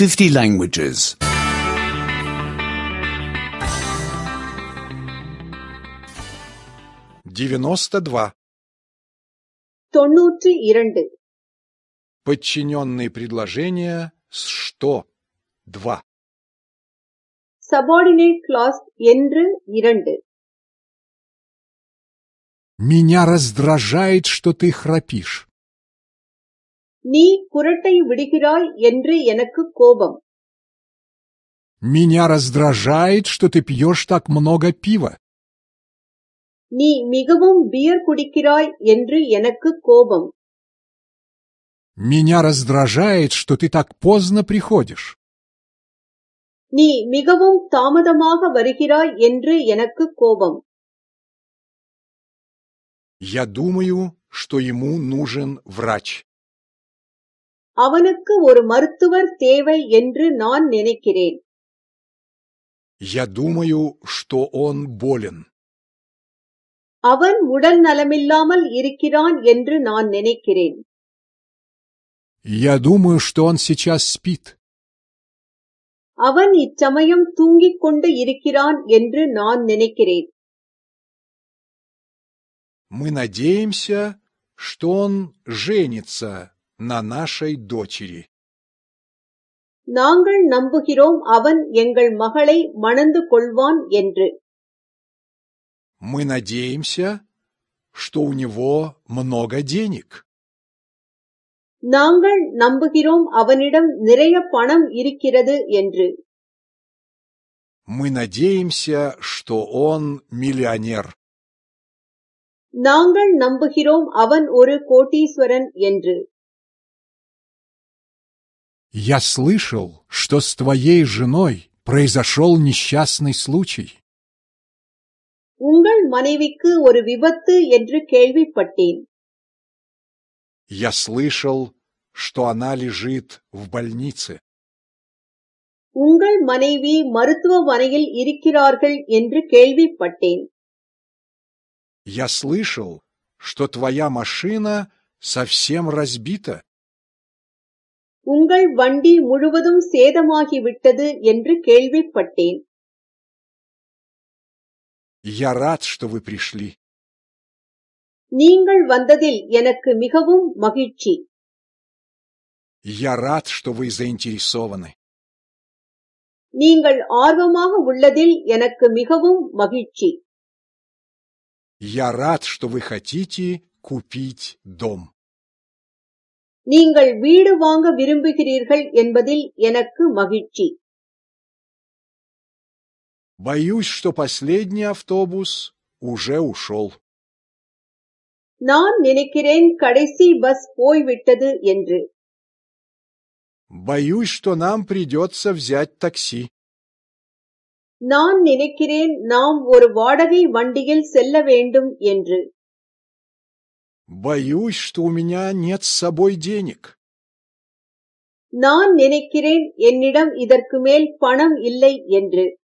50 languages. 92. 92. Подчиненные предложения с «что» 2. Subordinate clause என்று 2. Меня раздражает, что ты храпишь. நீ குரட்டை விடுகிறாய் என்று எனக்கு கோபம். Меня раздражает, что ты пьешь так много пива. நீ மிகவும் பியர் குடிக்கிறாய் என்று எனக்கு கோபம். Меня раздражает, что ты так поздно приходишь. நீ மிகவும் தாமதமாக வருகிறாய் என்று எனக்கு கோபம். Я думаю, что ему нужен врач. அவனுக்கு ஒரு மருத்துவர் தேவை என்று நான் நினைக்கிறேன். Я думаю, что он болен. அவன் உடல் நலமில்லாமல் இருக்கிறான் என்று நான் நினைக்கிறேன். Я думаю, что он сейчас спит. அவன் இச்சமயம் தூங்கிக் கொண்டு இருக்கிறான் என்று நான் நினைக்கிறேன். Мы надеемся, что он женится на нашей дочери. நாங்கள் நம்புகிறோம் அவன் எங்கள் மகளை மணந்து கொள்வான் என்று. Мы надеемся, что у него много денег. நாங்கள் நம்புகிறோம் அவனிடம் நிறைய பணம் இருக்கிறது என்று. Мы надеемся, что он миллионер. நாங்கள் நம்புகிறோம் அவன் ஒரு கோடீஸ்வரன் என்று. Я слышал, что с твоей женой произошел несчастный случай. உங்கள் மனைவிக்கு ஒரு விபத்து என்று கேள்விப்பட்டேன். Я слышал, что она лежит в больнице. உங்கள் மனைவி மருத்துவமனையில் இருக்கிறார்கள் என்று கேள்விப்பட்டேன். Я слышал, что твоя машина совсем разбита. உங்கள் வண்டி முழுவதும் சேதமாகிவிட்டது என்று கேள்விப்பட்டேன். Я рад, что вы пришли. நீங்கள் வந்ததில் எனக்கு மிகவும் மகிழ்ச்சி. Я рад, что вы заинтересованы. நீங்கள் ஆர்வமாக உள்ளதில் எனக்கு மிகவும் மகிழ்ச்சி. Я рад, что вы хотите купить дом. நீங்கள் வீடு வாங்க விரும்புகிறீர்கள் என்பதில் எனக்கு மகிழ்ச்சி. Боюсь, что последний автобус уже ушел. நான் நினைக்கிறேன் கடைசி பஸ் போய்விட்டது என்று. Боюсь, что нам придется взять такси. நான் நினைக்கிறேன் நாம் ஒரு வாடகை வண்டியில் செல்ல வேண்டும் என்று. Боюсь, что у меня нет с собой денег. நான் நினைக்கிறேன் என்னிடம் இதற்கு மேல் பணம் இல்லை என்று.